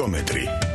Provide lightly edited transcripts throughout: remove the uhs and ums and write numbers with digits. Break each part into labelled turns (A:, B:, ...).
A: ეკომეტრი.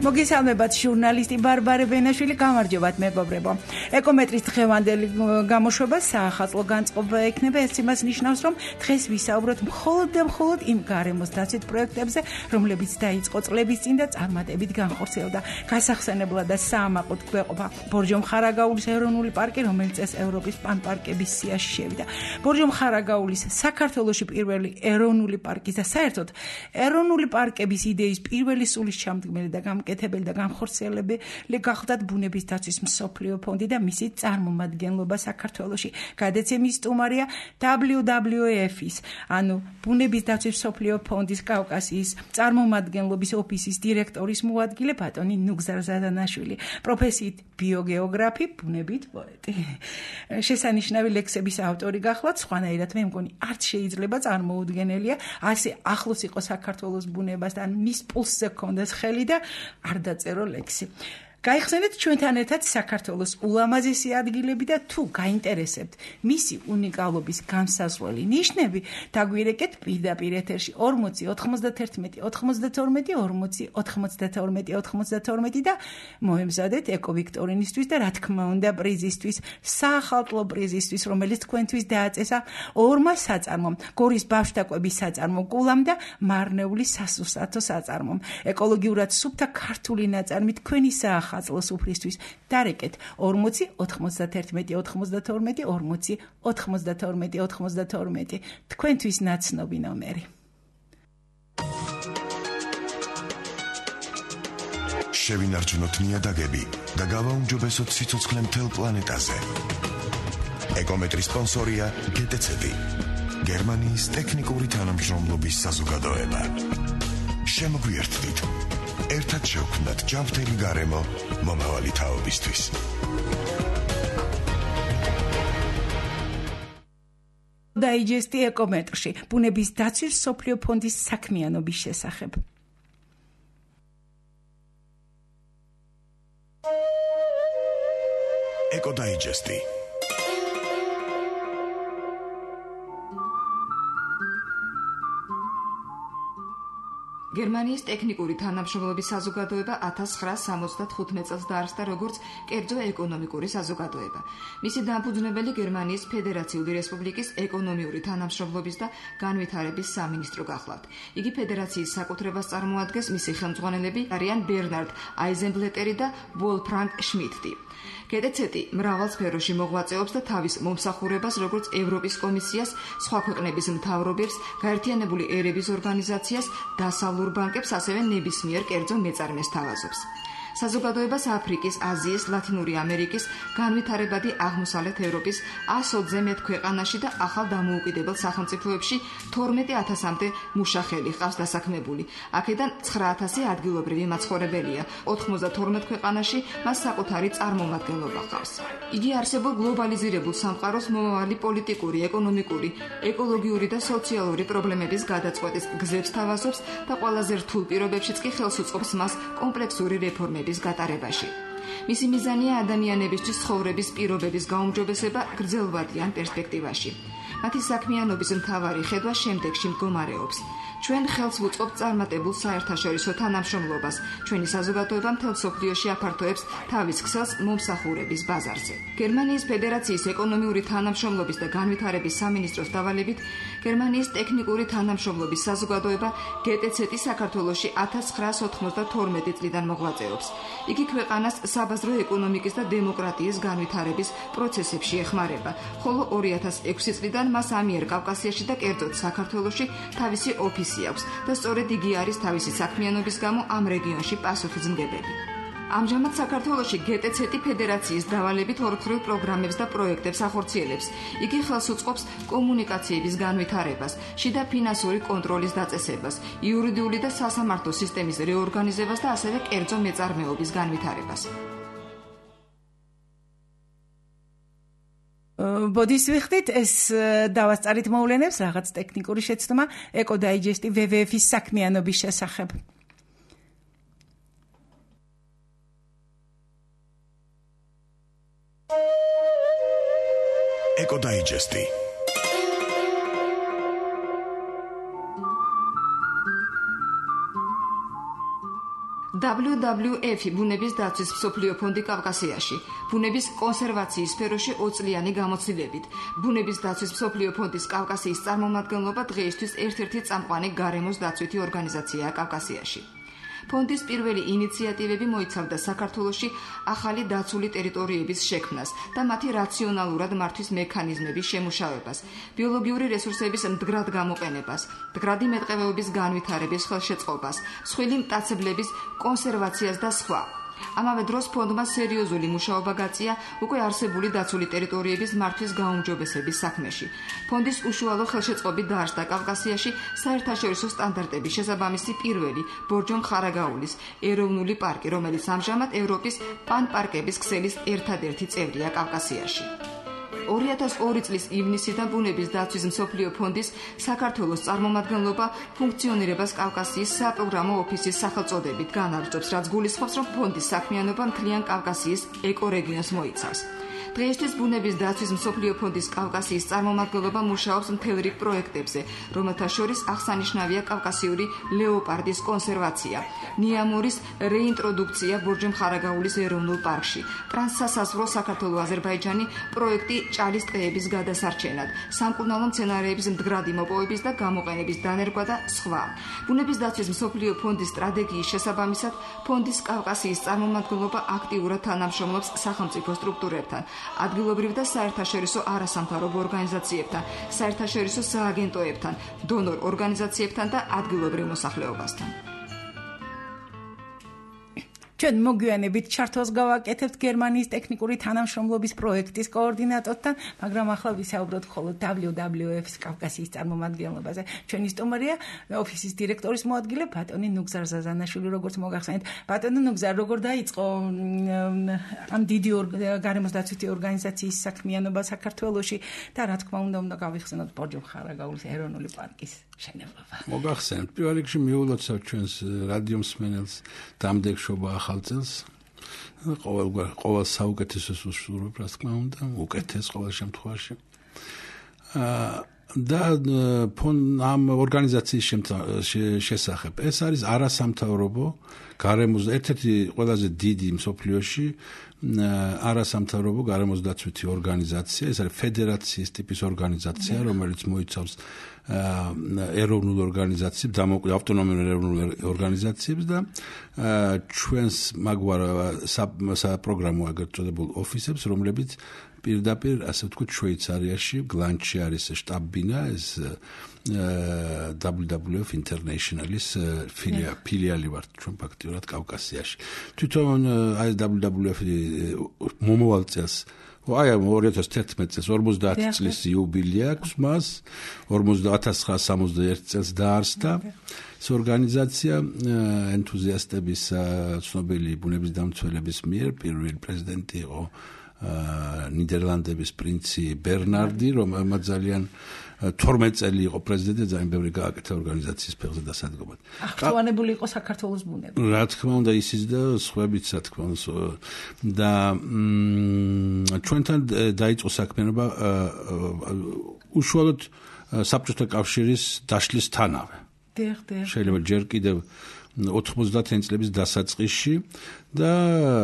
B: მოგესალმებათ ჟურნალისტი ბარბარე ბენაშვილი, გამარჯობათ მეგობრებო. ეკომეტრის დღევანდელი გამოშვება საახალწლო განწყობა ექნება. ეს იმას ნიშნავს, რომ დღეს ვისაუბროთ მხოლოდ და მხოლოდ იმ გარემოს დაცვით პროექტებზე, რომლებიც დაიწყო წლების წინ და წარმატებით განხორციელდა. გასახსენებლად და საამაყოდ გვეყოფა ბორჯომ-ხარაგაულის ეროვნული პარკი, რომელიც წელს ევროპის პანპარკების სიაში შევიდა. ბორჯომ-ხარაგაულის საქართველოში პირველი ეროვნული პარკი და საერთოდ ეროვნული პარკების იდეის პირველი სულის ჩამდგმელი და კეთებელი და განხორციელებელი გახლდათ ბუნების დაცვის მსოფლიო ფონდი და მისი წარმომადგენლობა საქართველოში. გადაცემის სტუმარია WWF-ის, ანუ ბუნების დაცვის მსოფლიო ფონდის კავკასიის წარმომადგენლობის ოფისის დირექტორის მოადგილე ბატონი ნუგზარ ზადანაშვილი, პროფესიით ბიოგეოგრაფი, ბუნებით პოეტი. შესანიშნავი ლექსების ავტორი გახლავთ, სხვანაირად მე მგონი არც შეიძლება წარმოუდგენელია ასე ახლოს იყო საქართველოს ბუნებასთან, მის პულსზე ჰქონდეს ხელი და არ დაწერო ლექსი. გაიხსენეთ ჩვენთან ერთად საქართველოს ულამაზესი ადგილები და თუ გაინტერესებთ მისი უნიკალობის განსაზღვრელი ნიშნები, დაგვირეკეთ პირდაპირ ეთერში 40 91 92 40 92 92 და მოემზადეთ ეკოვიქტორინისთვის და რა თქმა უნდა პრიზისთვის, საახალწლო პრიზისთვის, რომელიც თქვენთვის დააწესა ორმა საწარმომ, გორის ბავშვთაკვების საწარმომ კულამ და მარნეული სასუსათო საწარმომ. ეკოლოგიურად სუფთა ქართული ნაწარმი თქვენი ახალწლოს უფლისთვის დარეკეთ 40 91 92 40 92 92 თქვენთვის ნაცნობი ნომერი.
A: შევინარჩუნოთ ნიადაგები და გავაუმჯობესოთ სიცოცხლე მთელ პლანეტაზე. ეკომეტრის სპონსორია GTC-ი, გერმანიის ტექნიკური თანამშრომლობის საზოგადოება. შემოგვიერთდით. ერთად შევქმნათ ჯანმრთელი გარემო მომავალი თაობისთვის.
B: დაიჯესტი ეკომეტრში ბუნების დაცვის მსოფლიო ფონდის საქმიანობის შესახებ.
A: ეკოდაიჯესტი.
C: გერმანიის ტექნიკური თანამშრომლობის საზოგადოება 1975 წელს დაარსდა როგორც კერძო ეკონომიკური საზოგადოება. მისი დამფუძნებელი გერმანიის ფედერაციული რესპუბლიკის ეკონომიური თანამშრომლობის და განვითარების სამინისტრო გახლავთ. იგი ფედერაციის საკუთრებას წარმოადგენს, მისი ხელმძღვანელები არიან ბერნარდ აიზენბლეტერი და ვოლფრანგ შმიდტი. GTC-ი მრავალ სფეროში მოღვაწეობს და თავის მომსახურებას როგორც ევროპის კომისიას, სხვა ქვეყნების მთავრობებს, გაერთიანებული ერების ორგანიზაციას, დასავლურ ბანკებს, ასევე ნებისმიერ კერძო მეწარმეს თავაზობს. საზოგადოებას აფრიკის, აზიის, ლათინური ამერიკის, განვითარებადი აღმოსავლეთ ევროპის 120 მეტ ქვეყანაში და ახალ დამოუკიდებელ სახელმწიფოებში 12,000-მდე მუშახელი ყავს დასაქმებული. აქედან 9,000 ადგილობრივი მაცხოვრებელია. 92 ქვეყანაში მას საკუთარი წარმომადგენლობა ჰყავს. იგი არსებულ გლობალიზირებულ სამყაროს მომავალი პოლიტიკური, ეკონომიკური, ეკოლოგიური და სოციალური პრობლემების გადაწყვეტის გზებს თავაზობს და ყველაზე რთულ პირობებშიც კი ხელს უწყობს მას კომპლექსური რეფორმების გატარებაში. მისი მიზანია ადამიანებისთვის ცხოვრების პირობების გაუმჯობესება გრძელვადიან პერსპექტივაში. მათი საქმიანობის მთავარი ხედვა შემდეგში მდგომარეობს. ჩვენ ხელს ვუწყობთ წარმატებულ საერთაშორისო თანამშრომლობას. ჩვენი საზოგადოება მთელ მსოფლიოში აფართოებს თავის ქსელს მომსახურების ბაზარზე. გერმანიის ფედერაციის ეკონომიური თანამშრომლობის და განვითარების სამინისტროს დავალებით გერმანიის ტექნიკური თანამშრომლობის საზოგადოება GTC-ი საქართველოში 1992 წლიდან მოღვაწეობს. იგი ქვეყანას საბაზრო ეკონომიკის და დემოკრატიის განვითარების პროცესებში ეხმარება, ხოლო 2006 წლიდან მას ამიერკავკასიაში და კერძოდ საქართველოში თავისი ოფისი აქვს და სწორედ იგი არის თავისი საქმიანობის გამო ამ რეგიონში პასუხისმგებელი. ამჟამად საქართველოში GTC-ი ფედერაციის დავალებით ორქრიულ პროგრამებს და პროექტებს ახორციელებს. იგი ხელს უწყობს კომუნიკაციების განვითარებას, შიდა ფინანსური კონტროლის დაწესებას, იურიდიული და სასამართლო სისტემის რეორგანიზებას და ასევე კერძო მეწარმეობის განვითარებას.
B: ბოდის ვიხდით ეს დავასწარით მოვლენებს რაღაც ტექნიკური შეცდომა ეკოდაიჯესტი WWF-ის საქმიანობის შესახებ.
A: ეკოდაიჯესტი
C: WWF-ი ბუნების დაცვის მსოფლიო ფონდი კავკასიაში, ბუნების კონსერვაციის სფეროში 20 წლიანი გამოცდილებით. ბუნების დაცვის მსოფლიო ფონდის კავკასიის წარმომადგენლობა დღეისთვის ერთ-ერთი წამყვანი გარემოს დაცვითი ორგანიზაციაა კავკასიაში. ფონდის პირველი ინიციატივები მოიცავდა საქართველოში ახალი დაცული ტერიტორიების შექმნას და მათი რაციონალურად მართვის მექანიზმების შემუშავებას, ბიოლოგიური რესურსების მდგრად გამოყენებას, მდგრადი მეტყევეობის განვითარების ხელშეწყობას, მსხვილი მტაცებლების კონსერვაციას და სხვა. ამავე დროს ფონდმა სერიოზული მუშაობა გაწია უკვე არსებული დაცული ტერიტორიების მართვის გაუმჯობესების საქმეში. ფონდის უშუალო ხელშეწყობით დაარსდა კავკასიაში საერთაშორისო სტანდარტების შესაბამისი პირველი ბორჯომ-ხარაგაულის ეროვნული პარკი, რომელიც ამჟამად ევროპის პანპარკების ქსელის ერთადერთი წევრია კავკასიაში. 2002 წლის ივნისიდან ბუნების დაცვის მსოფლიო ფონდის საქართველოს წარმომადგენლობა ფუნქციონირებას კავკასიის საპროგრამო ოფისის სახელწოდებით განაგრძობს, რაც გულისხმობს, რომ ფონდის საქმიანობა მთლიან კავკასიის ეკორეგიონს მოიცავს. დღეისთვის ბუნების დაცვის მსოფლიო ფონდის კავკასიის წარმომადგენლობა მუშაობს მთელ რიგ პროექტებზე, რომელთა შორის აღსანიშნავია კავკასიური ლეოპარდის კონსერვაცია, ნიამორის რეინტროდუქცია ბორჯომ-ხარაგაულის ეროვნულ პარკში, ტრანსსასაზღვრო საქართველო-აზერბაიჯანი პროექტი ჭალის ტყეების გადასარჩენად, სამკურნალო მცენარეების მდგრადი მოპოვების და გამოყენების დანერგვა და სხვა. ბუნების დაცვის მსოფლიო ფონდის სტრატეგიის შესაბამისად, ფონდის კავკასიის წარმომადგენლობა აქტიურად თანამშრომლობს სახელმწიფო სტრუქტურებთან, ადგილობრივ და საერთაშორისო არასამთავრობო ორგანიზაციებთან, საერთაშორისო სააგენტოებთან, დონორ ორგანიზაციებთან და ადგილობრივ მოსახლეობასთან.
B: ჩვენ მოგვიანებით ჩართვას გავაკეთებთ გერმანიის ტექნიკური თანამშრომლობის პროექტის კოორდინატორთან, მაგრამ ახლა ვისაუბროთ მხოლოდ WWF-ის კავკასიის წარმომადგენლობაზე. ჩვენი სტუმარია ოფისის დირექტორის მოადგილე ბატონი ნუგზარ ზაზანაშვილი, როგორც მოგახსენეთ. ბატონი ნუგზარ, როგორ დაიწყო ამ დიდი გარემოს დაცვითი ორგანიზაციის საქმიანობა საქართველოში და რა თქმა უნდა გავიხსენოთ ბორჯომ-ხარაგაულის ეროვნული პარკის მშენებლობა.
D: მოგახსენებთ, პირველ რიგში მიულოცავთ ჩვენს რადიო მსმენელს დამდეგშობა ახალ წელს. ყოველ საუკეთესოს უსურვებ, რა თქმა უნდა, უკეთეს ყოველ შემთხვევაში. და ამ ორგანიზაციის შესახებ. ეს არის არასამთავრობო გარემოს ერთ-ერთი ყველაზე დიდი მსოფლიოში არასამთავრობო გარემოს დაცვითი ორგანიზაცია. ეს არის ფედერაციის ტიპის ორგანიზაცია, რომელიც მოიცავს ეროვნულ ორგანიზაციებს, ავტონომიურ ეროვნულ ორგანიზაციებს და ჩვენს მაგვარ საპროგრამო ეგრეთ წოდებულ ოფისებს, რომლებიც პირდაპირ, ასე ვთქვით, შვეიცარიაში, გლანჩში არის შტაბ-ბინა, ეს WWF International-ის ფილიალი ვართ ჩვენ ფაქტიურად კავკასიაში. თვითონ აი WWF მომავალ წელს აი 2011 წელს 50 წლის იუბილე აქვს მას, 1961 წელს დაარსდა ეს ორგანიზაცია ენთუზიასტების ცნობილი ბუნების დამცველების მიერ. პირველი პრეზიდენტი იყო ნიდერლანდების პრინცი ბერნარდი, რომელმაც ძალიან 12 წელი იყო პრეზიდენტი, ძალიან ბევრი გააკეთა ორგანიზაციის ფეხზე დასადგომად.
B: აღჭვანებული იყო საქართველოს ბუნება.
D: რა თქმა უნდა, ისიც და სხვაებიც, რა თქმა უნდა. და ჩვენთან დაიწყო საქმიანობა უშუალოდ საბჭოთა კავშირის დაშლისთანავე. შეიძლება ჯერ კიდევ 90 წლების დასაწყისში და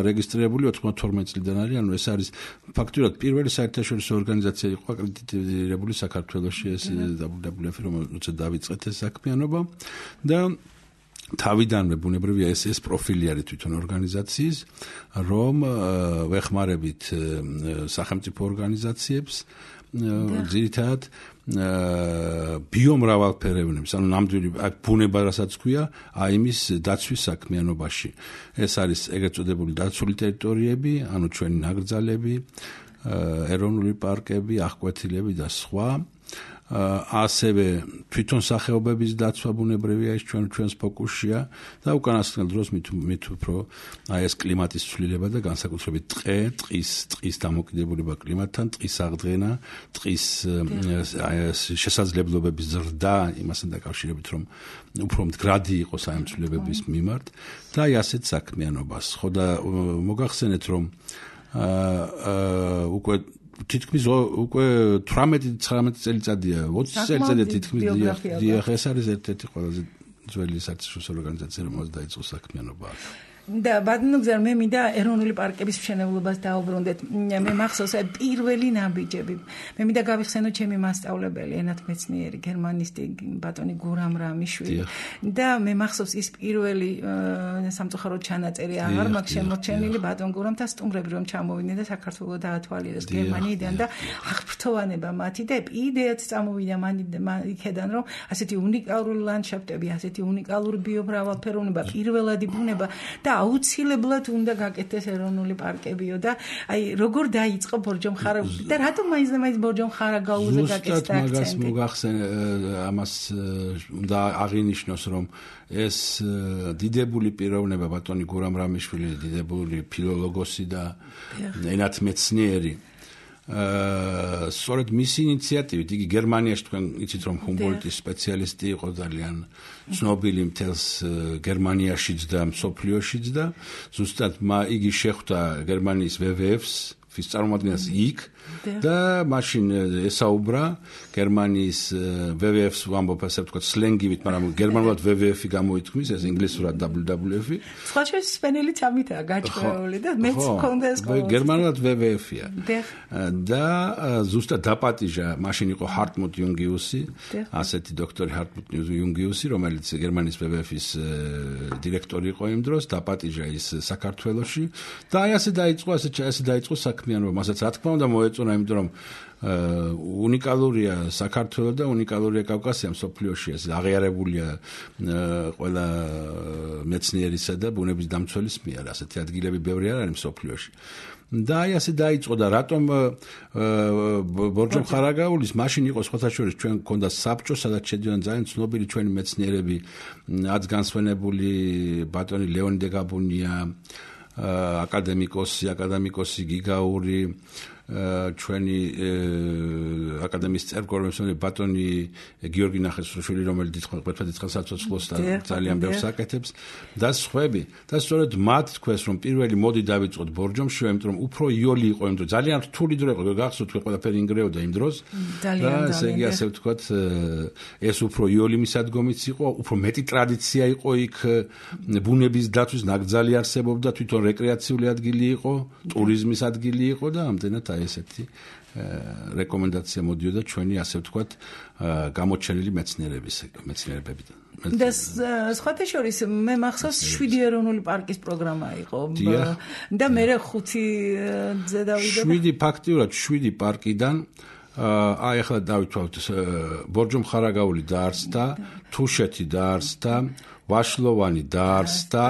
D: რეგისტრირებული 92 წლიდან არის, ანუ ეს არის ფაქტურად პირველი საერთაშორისო ორგანიზაცია იყო აკრედიტირებული საქართველოში, ეს WWF, რომელსაც დავიწყეთ ეს საქმიანობა და თავიდანვე ბუნებრივია ეს პროფილი არის თვითონ ორგანიზაციის, რომ ვეხმარებით სახელმწიფო ორგანიზაციებს ძირითადად ბიომრავალფეროვნების, ანუ ნამდვილი ბუნება, რასაც ქვია, აი იმის დაცვის საქმიანობაში. ეს არის ეგრეთ წოდებული დაცული ტერიტორიები, ანუ ჩვენი ნაკრძალები, ეროვნული პარკები, აღკვეთილები და სხვა. ასევე თვითონ სახეობების დაცვა ბუნებრივია ის ჩვენს ფოკუსშია და უკანასკნელ დროს მით უფრო ეს კლიმატის ცვლილება და განსაკუთრებით ტყის დამოკიდებულება კლიმატთან, ტყის აღდგენა, ტყის შესაძლებლობების ზრდა იმასთან დაკავშირებით რომ უფრო მდგრადი იყოს აი ამ ცვლილებების მიმართ და ასეთ საქმიანობას. ხო და მოგახსენეთ რომ უკვე თითქმის უკვე 18-19 წელიწადია 20 წელიწადია თითქმის დიახ ეს არის ერთ-ერთი ყველაზე ძველი საერთაშორისო ორგანიზაცია რომელსაც დაიწყო საქმიანობა
B: და ბატონო მე მინდა ეროვნული პარკების მშენებლობას დაუბრუნდეთ. მე მახსოვს პირველი ნაბიჯები. მე მინდა გავიხსენო ჩემი მასწავლებელი, ენათმეცნიერი, გერმანისტი ბატონი გურამ რამიშვილი. და მე მახსოვს ის პირველი სამწუხაროდ ჩანაწერი აღარ მაქვს შემორჩენილი ბატონ გურამთან სტუმრები რომ ჩამოვიდნენ და საქართველოს დაათვალიერეს გერმანიიდან და აღფრთოვანება მათი და იდეაც წამოვიდა იქედან რომ ასეთი უნიკალური ლანდშაფტები, ასეთი უნიკალური ბიომრავალფეროვნება, პირველადი ბუნება და აუცილებლად უნდა გაკეთდეს ეროვნული პარკებიო და აი როგორ დაიწყო ბორჯომხარაგაული და რატომ მაინც ბორჯომხარაგაულზე გაკეთდა აქცენტი?
D: მაგას მოგახსენ ამას უნდა აღინიშნოს რომ ეს დიდებული პიროვნება ბატონი გურამ რამიშვილი დიდებული ფილოლოგოსი და ენათმეცნიერი სწორედ მისი ინიციატივით იგი გერმანიაში თქვენ იცით რომ ჰუმბოლდტის სპეციალისტი იყო ძალიან ცნობილი მთელს გერმანიაშიც და მსოფლიოშიც და ზუსტად იგი შეხვდა გერმანიის WWF-ს ვის წარმოადგენს იქ და მაშინ ესაუბრა გერმანიის WWF-ს ვამბობ ასე ვთქვათ სლენგივით, მაგრამ გერმანულად WWF-ი გამოითქმის, ეს ინგლისურად WWF-ი.
B: სხვა შესაძლებელიც ამითაა გაჭრეული და მეც მქონდა ეს ყოველთვის.
D: გერმანულად WWF-ია. და ზუსტად დაპატიჟა, მაშინ იყო ჰარტმუტ იუნგიუსი, ასეთი დოქტორი ჰარტმუტ იუნგიუსი, რომელიც გერმანიის WWF-ის დირექტორი იყო იმ დროს, დაპატიჟა ის საქართველოში და აი ასე დაიწყო საქმიანობა, მასაც რა თქმა უნდა მოეწონა, იმიტომ რომ უნიკალურია საქართველო და უნიკალურია კავკასია მსოფლიოში, ეს აღიარებულია ყველა მეცნიერისა და ბუნების დამცველის მიერ, ასეთი ადგილები ბევრი არ არის მსოფლიოში. და აი ასე დაიწყო და რატომ ბორჯომხარაგაულის მაშინ იყო სხვათა შორის ჩვენ გქონდა საბჭო, სადაც შედიოდნენ ძალიან ცნობილი ჩვენი მეცნიერები, აც განსვენებული ბატონი ლეონიდე გაბუნია, აკადემიკოსი გიგაური, ჩვენი აკადემიის წევრ-კორომისმონები ბატონი გიორგი ნახეცრუშვილი, რომელიც ერთადერთ საცოცხლოს და ძალიან ბევრს აკეთებს და სხვები. და სწორედ მათ თქვეს, რომ პირველი მოდი დავიწყოთ ბორჯომში, იმიტომ რომ უფრო იოლი იყო იმ დროს, ძალიან რთული დრო იყო, გახსოვთ თქვენ ყველაფერი ინგრეოდა იმ დროს. და ესე იგი ასე ვთქვათ, ეს უფრო იოლი მისადგომიც იყო, უფრო მეტი ტრადიცია იყო იქ ბუნების დაცვის ნაკრძალი არსებობდა, თვითონ რეკრეაციული ადგილი იყო, ტურიზმის ადგილი იყო და ამდენად ესეთი რეკომენდაცია მოდიოდა ჩვენი ასე ვთქვათ გამოჩენილი მეცნიერებებიდან.
B: და სხვათა შორის მე მახსოვს 7 ეროვნული პარკის პროგრამა იყო და მე 5-ზე დავიდა.
D: 7 ფაქტიურად 7 პარკიდან აი ახლა დავითვალოთ ბორჯომხარაგაული დაარსდა, თუშეთი დაარსდა, ვაშლოვანი დაარსდა,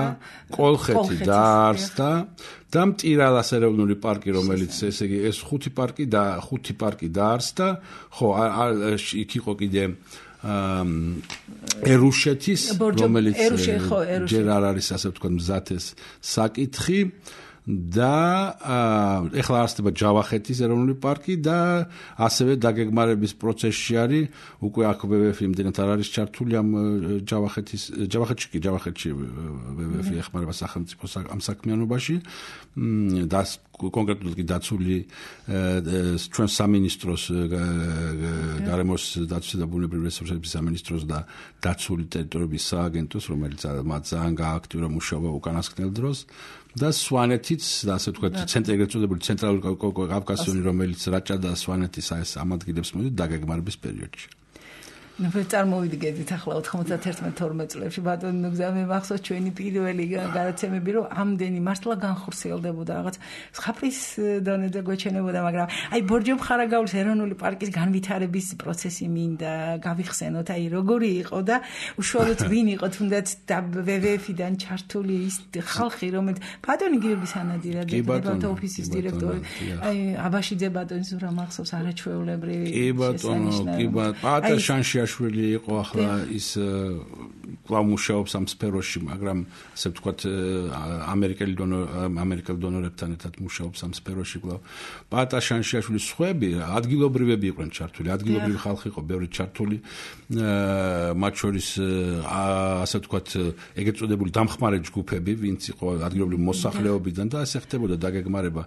D: კოლხეთი დაარსდა და მტირალას ეროვნული პარკი, რომელიც ესე იგი ეს 5 პარკი დაარსდა, ხო, იქ იყო კიდე ერუშეთის, რომელიც ჯერ არ არის ასე ვთქვათ მზათეს საკითხი და ეხლა არსდება ჯავახეთის ეროვნული პარკი და ასევე დაგეგმარების პროცესში არის უკვე აქ WWF იმდენად არ არის ჩართული ამ ჯავახეთში WWF ეხმარება სახელმწიფოს ამ საქმიანობაში და კონკრეტულად კი დაცული ჩვენ სამინისტროს გარემოს დაცვის და ბუნებრივი რესურსების სამინისტროს და დაცული ტერიტორიების სააგენტოს, რომელიც მათ ძალიან გააქტიურა მუშაობა უკანასკნელ დროს და სვანეთიც და ასე ვთქვათ ეგრეთ წოდებული ცენტრალური კავკასიონი, რომელიც რაჭა და სვანეთის ამ ადგილებს მოდით დაგეგმარების პერიოდში.
B: წარმოვიდგენთ ახლა 91-12 წლებში ბატონო ნუგზა მე მახსოვს ჩვენი პირველი გადაცემები რომ ამდენი მართლა განხორციელდებოდა რაღაც ხაფრის დონეზე გვეჩენებოდა მაგრამ აი ბორჯომ ხარაგაულის ეროვნული პარკის განვითარების პროცესი მინდა გავიხსენოთ აი როგორი იყო და უშუალოდ ვინ იყო თუნდაც WWF-დან ჩართული ის ხალხი რომელიც ბატონი გიორგი სანადირაძე დებატო ოფისის დირექტორი აი აბაშიძე ბატონის რა მახსოვს არაჩვეულებრივი
D: კი ბატონო კი ბატონო შანშიაშვილი იყო ახლა ის კვლავ მუშაობს ამ სფეროში მაგრამ ასე ვთქვათ ამერიკელ დონორებთან ერთად მუშაობს ამ სფეროში კვლავ პატა შანშიაშვილის სხვები ადგილობრივები იყვნენ ჩართული ადგილობრივი ხალხი იყო ბევრი ჩართული მათ შორის ასე ვთქვათ ეგრეთ წოდებული დამხმარე ჯგუფები ვინც იყო ადგილობრივი მოსახლეობიდან და ასე ხდებოდა დაგეგმარება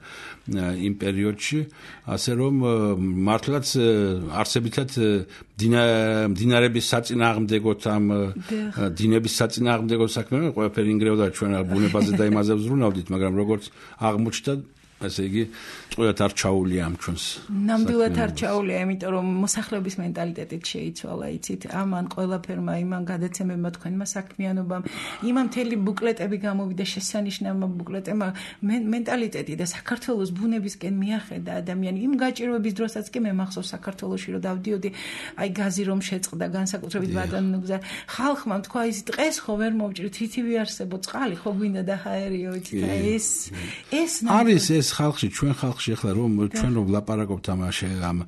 D: იმ პერიოდში ასე რომ მართლაც არსებითად დინარების საწინააღმდეგოთ ამ დინების საწინააღმდეგო საქმე ყველაფერი ინგრეოდა ჩვენ ბუნებაზე და იმაზე ვზრუნავდით მაგრამ როგორც აღმოჩნდა ასე იგი წყვეტ არ ჩაულია ამ ჩვენს
B: ნამდვილად არ ჩაულია იმიტომ რომ მოსახლეობის მენტალიტეტით შეიცვალა იცით ამან ყველაფერმა იმან გადაცემებმა თქვენმა საქმიანობამ იმან მთელი ბუკლეტები გამოვიდა შესანიშნავმა ბუკლეტებმა მენტალიტეტი და საქართველოს ბუნებისკენ მიახედა ადამიანი იმ გაჭირვების დროსაც კი მე მახსოვს საქართველოში რომ დავდიოდი აი გაზი რომ შეწყდა განსაკუთრებით ბატონოგზა ხალხმა თქვა ის დღეს ხო ვერ მოვჭრით თითივე არსებო წყალი ხო გვინდა და ჰაერიო იცით ეს
D: არის ეს ხალხში ჩვენ ხალხში ახლა რომ ჩვენ რომ ვლაპარაკობთ ამ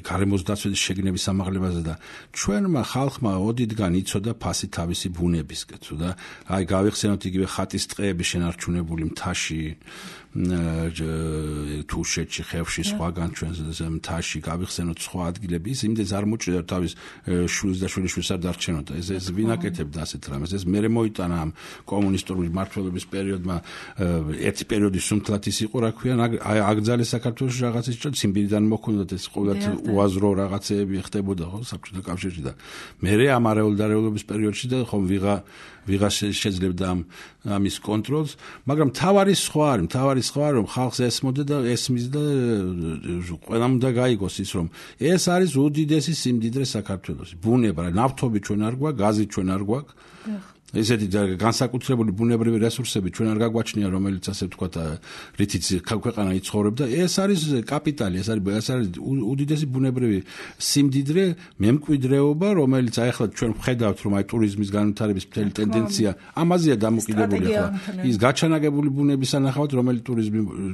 D: გარემოს დაცვის შეგნების ამაღლებაზე და ჩვენმა ხალხმა ოდითგან იცოდა ფასი თავისი ბუნებისკენ და აი გავიხსენოთ იგივე ხატის ტყეები შენარჩუნებული მთაში თუშეთში ხევში სხვაგან ჩვენს მთაში გავიხსენოთ სხვა ადგილები ის იმდენს არ მოჭრიდა თავის შვილს და შვილიშვილს არ დარჩენოდა ეს ვინაკეთებდა ასეთ რამეს ეს მე მოიტანა ამ კომუნისტური მმართველობის პერიოდმა ერთი პერიოდი სუნთლად ის იყო რა ქვია აგძალე საქართველოს რაღაცის ციმბირიდან მოქონდათ ეს ყოველთ უაზრო რაღაცეები ხდებოდა ხო საბჭოთა კავშირში და მე ამ არეულდარეულობის პერიოდში და ხომ ვიღა შეძლებდა ამის კონტროლს მაგრამ თავარი სხვა რომ ხალხს ესმოდა და ესმის და ყველამ უნდა გაიგოს ის რომ ეს არის უდიდესი სიმდიდრე საქართველოს ბუნება ნავთობი ჩვენ არ გვაქვს გაზი ჩვენ არ გვაქვს ესეთი განსაკუთრებული ბუნებრივი რესურსები ჩვენ არ გაგვაჩნია რომელიც ასე ვთქვათ რითიც ქვეყანა იცხოვრებდა ეს არის კაპიტალი ეს არის უდიდესი ბუნებრივი სიმდიდრე მემკვიდრეობა რომელიც აი ახლა ჩვენ ვხედავთ რომ აი ტურიზმის განვითარების მთელი ტენდენცია ამაზეა დამოკიდებული ახლა ის გაჩანაგებული ბუნების ანახავთ რომელიც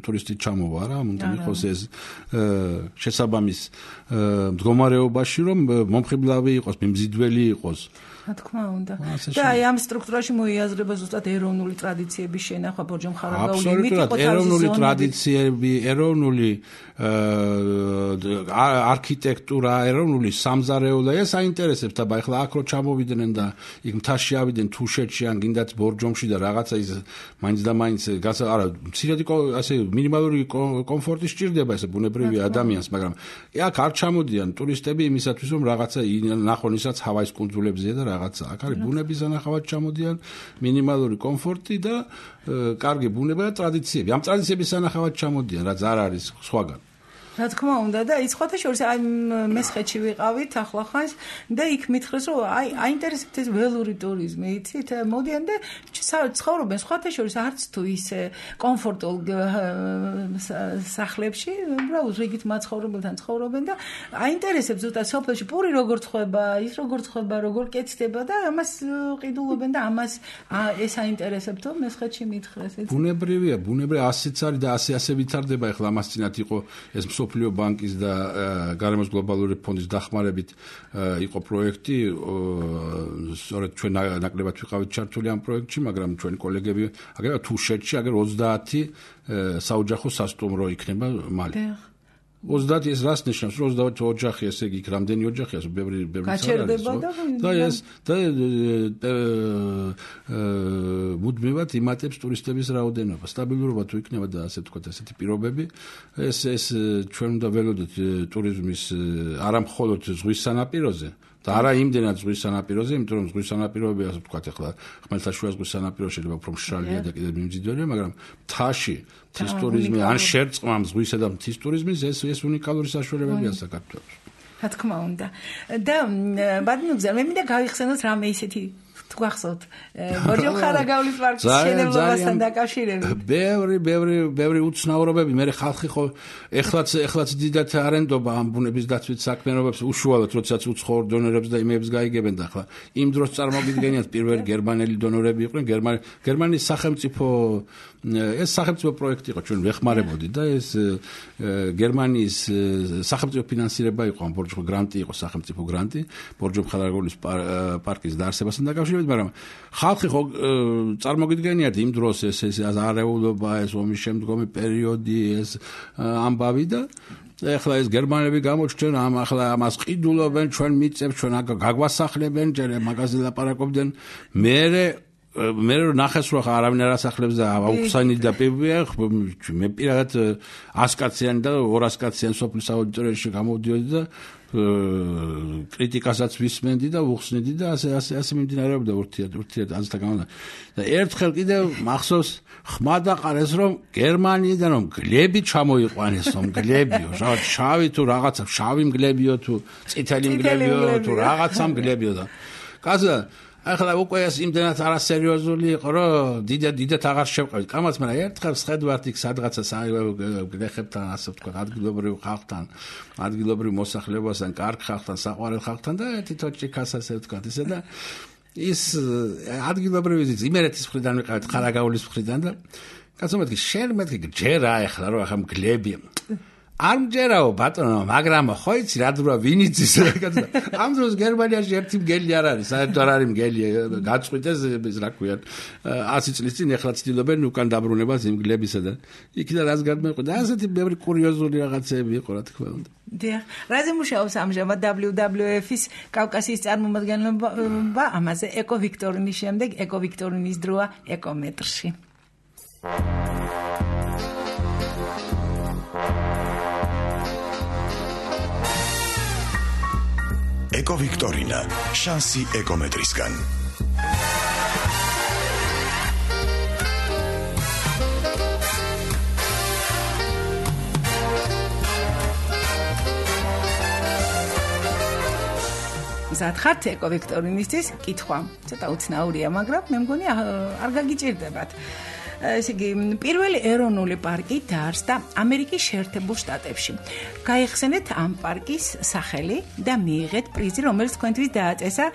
D: ტურისტი ჩამოვა რა უნდა იყოს ეს შესაბამის მდგომარეობაში რომ მომხიბლავი იყოს მიმზიდველი იყოს
B: რა თქმა უნდა. და აი ამ სტრუქტურაში მოიაზრება ზუსტად ეროვნული ტრადიციების შენახვა ბორჯომ ხარაგაული მითიკო
D: ეროვნული ტრადიციები, ეროვნული არქიტექტურა, ეროვნული სამზარეულო ეს აინტერესებთ აბა ახლა აქ რო ჩამოვიდნენ და იქ მთაში ავიდნენ თუშეთში ან გინდათ ბორჯომში და რაღაცა ის მაინც და მაინც არა მცირედი ასე მინიმალური კომფორტი სჭირდება ესე ბუნებრივი ადამიანს მაგრამ აქ არ ჩამოდიან ტურისტები იმისათვის რომ რაღაცა ნახონ ისაც ჰავაის კუნძულებზეა და რაღაცა აქ არის ბუნების ანახავად ჩამოდიან მინიმალური კომფორტი და კარგი ბუნება და ტრადიციები ამ ტრადიციების ანახავად ჩამოდიან რაც არ არის სხვაგან
B: რა თქმა უნდა და ის ხოთა შორის აი მესხეთში ვიყავით ახლახანს და იქ მითხრეს რომ აი აინტერესებთ ეს ველური ტურიზმი იცით მოდიან და ცხოვრობენ ხოთა შორის არც თუ ისე კომფორტულ სახლებში უბრალოდ რიგით მაცხოვრებელთან ცხოვრობენ და აინტერესებს ზუსტად სოფელში პური როგორ ცხება ის როგორ ცხება როგორ კეთდება და ამას ყიდულობენ და ამას ეს აინტერესებთ რომ მესხეთში მითხრეს
D: ბუნებრივია ასეც არის და ასე ვითარდება ახლა ამას წინათ იყო ეს სოფლიო ბანკის და გარემოს გლობალური ფონდის დახმარებით იყო პროექტი სწორედ ჩვენ ნაკლებად ვიყავით ჩართული ამ პროექტში მაგრამ ჩვენი კოლეგები აგერ თუშეთში აგერ 30 საოჯახო სასტუმრო იქნება მალე 30 ეს რას ნიშნავს 30 ოჯახი ესე იგი რამდენი ოჯახია ბევრი
B: გაჩერდება
D: და ეს და მუდმივად იმატებს ტურისტების რაოდენობა სტაბილურობა თუ იქნება და ასე თქვა ესეთი პირობები ეს ჩვენ უნდა ველოდოთ ტურიზმის არა მხოლოდ ზღვის სანაპიროზე და არა იმდენად ზღვის სანაპიროზე, იმიტომ რომ ზღვის სანაპიროები ასე ვთქვათ ახლა ხმელთაშუა ზღვის სანაპირო შეიძლება უფრო მშრალია და კიდევ მიმზიდველია, მაგრამ მთაში მთის ტურიზმი ან შერწყმამ ზღვისა და მთის ტურიზმის ეს უნიკალური საშუალებებია საქართველოს.
B: რა თქმა უნდა. და ბატონგზა მე მინდა გავიხსენოთ რამე ისეთი თუ გახსოვთ ბორჯომ ხარაგაულის პარკის შენებლობასთან დაკავშირებით.
D: ბევრი უცნაურობები, მე ხალხი ხო ეხლაც დიდად არენდობა ამ ბუნების დაცვის საქმიანობებს უშუალოდ როდესაც უცხოურ დონორებს და იმებს გაიგებენ და ახლა იმ დროს წარმოგიდგენიათ პირველი გერმანელი დონორები იყვნენ გერმანიის სახელმწიფო ეს სახელმწიფო პროექტი იყო ჩვენ ვეხმარებოდი და ეს გერმანიის სახელმწიფო ფინანსირება იყო ამ ბორჯომ გრანტი იყო სახელმწიფო გრანტი ბორჯომ ხარაგაულის პარკის დაარსებასთან დაკავშირებით მაგრამ ხალხი ხო წარმოგიდგენიათ იმ დროს ეს არეულობა ეს ომის შემდგომი პერიოდი ეს ამბავი და ეხლა ეს გერმანელები გამოჩნდნენ ახლა ამას ყიდულობენ ჩვენ მიწებს ჩვენ გაგვასახლებენ ჯერ მაგაზე ლაპარაკობდნენ მე ნახეს რომ არავინ არ ასახლებს და აუხსანი და მე პირადად 100 კაციანი და 200 კაციანი სოფლის აუდიტორიაში გამოვდიოდი და კრიტიკასაც ვისმენდი და უხსნიდი და ასე მიმდინარეობდა ურთიერთ აზრთა გამო და ერთხელ კიდევ მახსოვს ხმა დაყარეს რომ გერმანიიდან რომ გლები ჩამოიყვანეს რომ გლებიო შავი თუ რაღაცა შავი მგლებიო თუ წითელი მგლებიო თუ რაღაცა მგლებიო და კაცო ახლა უკვე ეს იმდენად არასერიოზული იყო რომ დიდად აღარ შევყავით კამაც მაგრამ ერთხელ შეხედვართ იქ სადღაცა გლეხებთან ასე ვთქვა ადგილობრივ ხალხთან ადგილობრივ მოსახლეობასთან კარგ ხალხთან საყვარელ ხალხთან და თვითონში კასას ვთქვა ისე და ის ადგილობრივი იმერეთის მხრიდან ვიყავით ხარაგაულის მხრიდან და კაცო მეთქი შენ მეთქი ჯერა ახლა რომ ახლა მგლები არ მჯერაო ბატონო მაგრამ ხო იცი რა დროა ვინ იცის ამ დროს გერმანიაში ერთი მგელი არ არის საერთოდ არ არის მგელი გაწყვიტეს ეს რა ქვია 100 წლის წინ ეხლა ცდილობენ უკან დაბრუნებას იმ მგლებისა და იქიდან რას გადმეყვიდა ასეთი ბევრი კურიოზული რაღაცები იყო რა თქმა უნდა
B: დიახ რაზე მუშაობს ამჟამად WWF-ის კავკასიის წარმომადგენლობა ამაზე ეკო ვიქტორინის შემდეგ ეკო ვიქტორინის დროა ეკომეტრში
A: ეკო ვიქტორინა შანსი ეკომეტრისგან
B: ზათხართ ეკო ვიქტორინისთვის კითხვა ცოტა უცნაურია მაგრამ მე მგონი არ გაგიჭირდებათ ესე იგი პირველი ეროვნული პარკი დაარსდა ამერიკის შეერთებულ შტატებში. გაიხსენეთ ამ პარკის სახელი და მიიღეთ პრიზი, რომელიც თქვენთვის დააწესა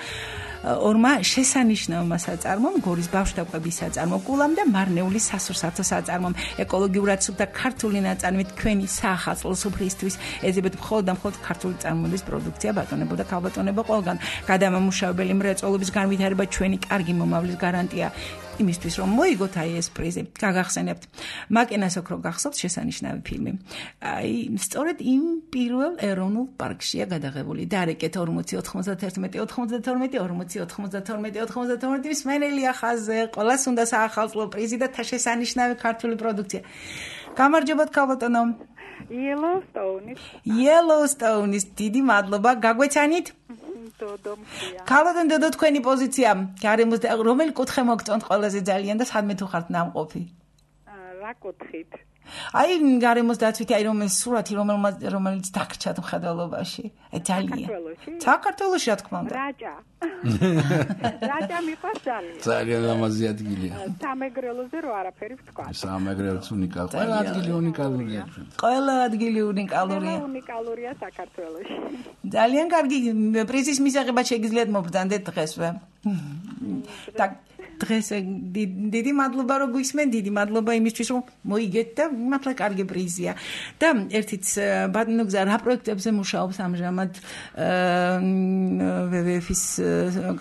B: ორმა შესანიშნავმა საწარმომ, გორის ბავშვთა კვების საწარმომ, კულამ და მარნეულის სასურსათო საწარმომ, ეკოლოგიურად სუფთა ქართული ნაწარმით თქვენი საახალწლო სუფრისთვის ეძებეთ მხოლოდ და მხოლოდ ქართული წარმოების პროდუქცია ბატონებო და ქალბატონებო ყველგან. გადამამუშავებელი მრეწველობის განვითარება ჩვენი კარგი მომავლის გარანტია. იმისთვის რომ მოიგოთ აი ეს პრიზი. გაგახსენებთ. მაკენას ოქრო გახსოვთ შესანიშნავი ფილმი. აი სწორედ იმ პირველ ეროვნულ პარკშია გადაღებული. დარეკეთ 40-91-92 მსმენელია ხაზზე, ყველას უნდა საახალწლო პრიზი და შესანიშნავი ქართული პროდუქცია. გამარჯობათ ქალბატონო. Yellowstone-ის დიდი მადლობა. გაგვეცანით? ქალბატონ დოდო თქვენი პოზიცია გარემოს და რომელი კუთხე მოგწონთ ყველაზე ძალიან და სადმე თუ ხართ ნამყოფი?
E: რა კუთხით?
B: აი გარემოს დაცვითი აი რომ ეს სურათი რომელიც დაგრჩათ მხედველობაში. აი ძალიან. საქართველოში რა თქმა უნდა.
E: რაჭა მიყვარს ძალიან.
D: ძალიან ლამაზი ადგილია.
E: სამეგრელოზე რო არაფერი ვთქვა.
D: სამეგრელოც უნიკალურია. ყველა ადგილი უნიკალურია.
B: ყველა ადგილი უნიკალურია.
E: უნიკალურია საქართველოში.
B: ძალიან კარგი პრიზის მისაღებად შეგიძლიათ მობრძანდეთ დღესვე. დღეს დიდი მადლობა რომ გვისმენ, დიდი მადლობა იმისთვის რომ მოიგეთ და მართლა კარგი პრიზია. და ერთიც ბატონგზა რა პროექტებზე მუშაობს ამჟამად WWF-ის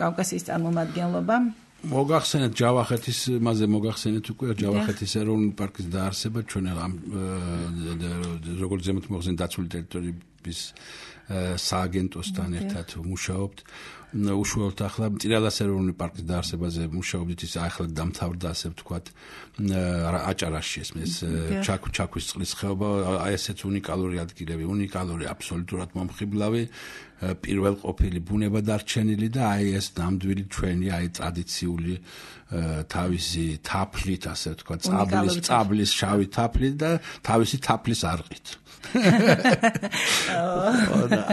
B: კავკასიის წარმომადგენლობა?
D: მოგახსენეთ ჯავახეთის მასზე მოგახსენეთ უკვე ჯავახეთის ეროვნული პარკის დაარსება ჩვენ როგორც ზემოთ მოხსენ დაცული ტერიტორიების სააგენტოსთან ერთად მუშაობთ უშუალოდ ახლა მწირალას ეროვნული პარკის დაარსებაზე მუშაობდით, ის ახლა დამთავრდა, ასე ვთქვათ, აჭარაში ეს ჩაქვის წყლის ხეობა, აი ესეც უნიკალური ადგილები, უნიკალური, აბსოლუტურად მომხიბლავი, პირველ ყოფილი ბუნება დარჩენილი და აი ეს ნამდვილი ჩვენი აი ტრადიციული თავისი თაფლით, ასე ვთქვათ, წაბლის შავი თაფლით და თავისი თაფლის არყით.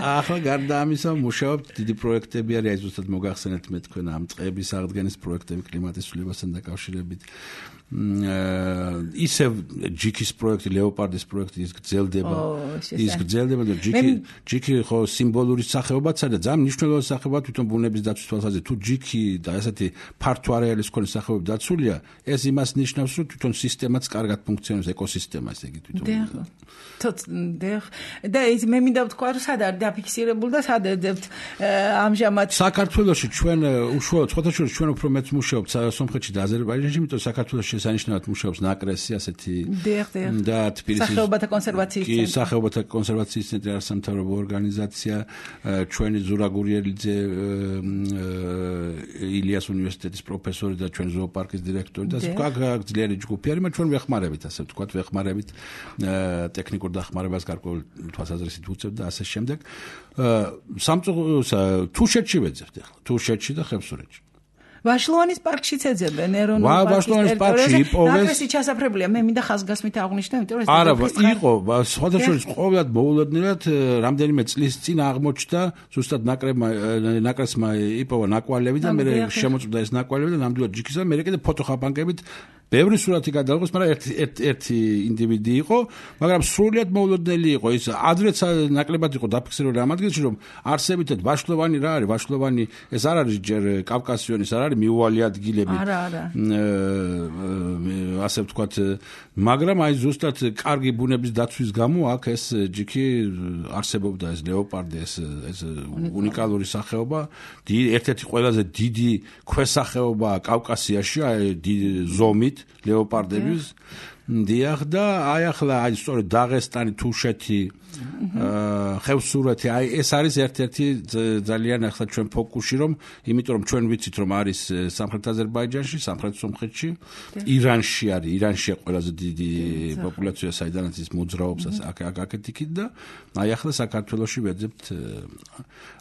D: ახლა გარდა ამისა მუშაობთ, დიდი პროექტები არის, აი ზუსტად მოგახსენეთ მე თქვენ ამ წყების აღდგენის პროექტები კლიმატის ცვლილებასთან დაკავშირებით. ისევ ჯიქის პროექტი, ლეოპარდის პროექტი ის გრძელდება და ჯიქი ხო სიმბოლური სახეობაც არის და ძალიან მნიშვნელოვანი სახეობა თვითონ ბუნების დაცვის თვალსაზრისით. თუ ჯიქი და ესეთი ფართო არეალის მქონე სახეობები დაცულია, ეს იმას ნიშნავს, რომ თვითონ სისტემაც კარგად ფუნქციონირებს, ეკოსისტემა, ესე იგი თვითონ.
B: და ის მე მინდა ვთქვა, რომ სად არის დაფიქსირებული და სად ეძებთ ამჟამად
D: საქართველოში ჩვენ უშუალოდ სხვათაშორის ჩვენ უფრო მეც მუშაობთ სომხეთში და აზერბაიჯანში, იმიტომ საქართველოში შესანიშნავად მუშაობს ნაკრესი ასეთი და თბილისის
B: სახეობათა კონსერვაციის ცენტრი.
D: კი, სახეობათა კონსერვაციის ცენტრი არის სამთავრობო ორგანიზაცია, ჩვენი ზურა გურიელიძე ილიას უნივერსიტეტის პროფესორი და ჩვენ ზოოპარკის დირექტორი და ძლიერი ჯგუფი არის, ჩვენ ვეხმარებით, ასე ვთქვათ, ვეხმარებით ტექნიკურ დახმარებას გარკვეულ თვალსაზრისით უწევთ და ასე შემდეგ. თუშეთში ვეძებთ ახლა, თუშეთში და ხევსურეთში.
B: ვაშლოვანის პარკშიც ეძებენ ეროვნულ პარკის ტერიტორიაზე. ნაკრესი ჩასაფრებულია, მე მინდა ხაზგასმით აღვნიშნო, იმიტომ რომ
D: არა, იყო, სხვადასხვა ყოველად მოულოდნელად რამდენიმე წლის წინ აღმოჩნდა, ზუსტად ნაკრესმა იპოვა ნაკვალევი და მე შემოწმდა ეს ნაკვალევი და ნამდვილად ჯიქისა, მე კიდე ფოტოხაპანკებით ბევრი სურათი გადაიღოს, მაგრამ ერთი ინდივიდი იყო, მაგრამ სრულიად მოულოდნელი იყო. ის ადრეც ნაკლებად იყო დაფიქსირებული ამ ადგილში, რომ არსებითად ვაშლოვანი რა არის, ვაშლოვანი ეს არ არის ჯერ კავკასიონის, არ არის მიუვალი ადგილები.
B: არა.
D: ასე ვთქვათ, მაგრამ აი ზუსტად კარგი ბუნების დაცვის გამო აქ ეს ჯიქი არსებობდა, ეს ლეოპარდი, ეს უნიკალური სახეობა, ერთ-ერთი ყველაზე დიდი ქვესახეობა კავკასიაში, აი ზომით ლეოპარდების დიახ და აი ახლა აი სწორედ დაღესტანი, თუშეთი, ხევსურეთი, აი ეს არის ერთ-ერთი ძალიან ახლა ჩვენ ფოკუსში, რომ იმიტომ რომ ჩვენ ვიცით რომ არის სამხრეთ აზერბაიჯანში, სამხრეთ სომხეთში, ირანში ყველაზე დიდი პოპულაცია, საიდანაც ის მოძრაობს აქეთ-იქით და აი ახლა საქართველოში ვეძებთ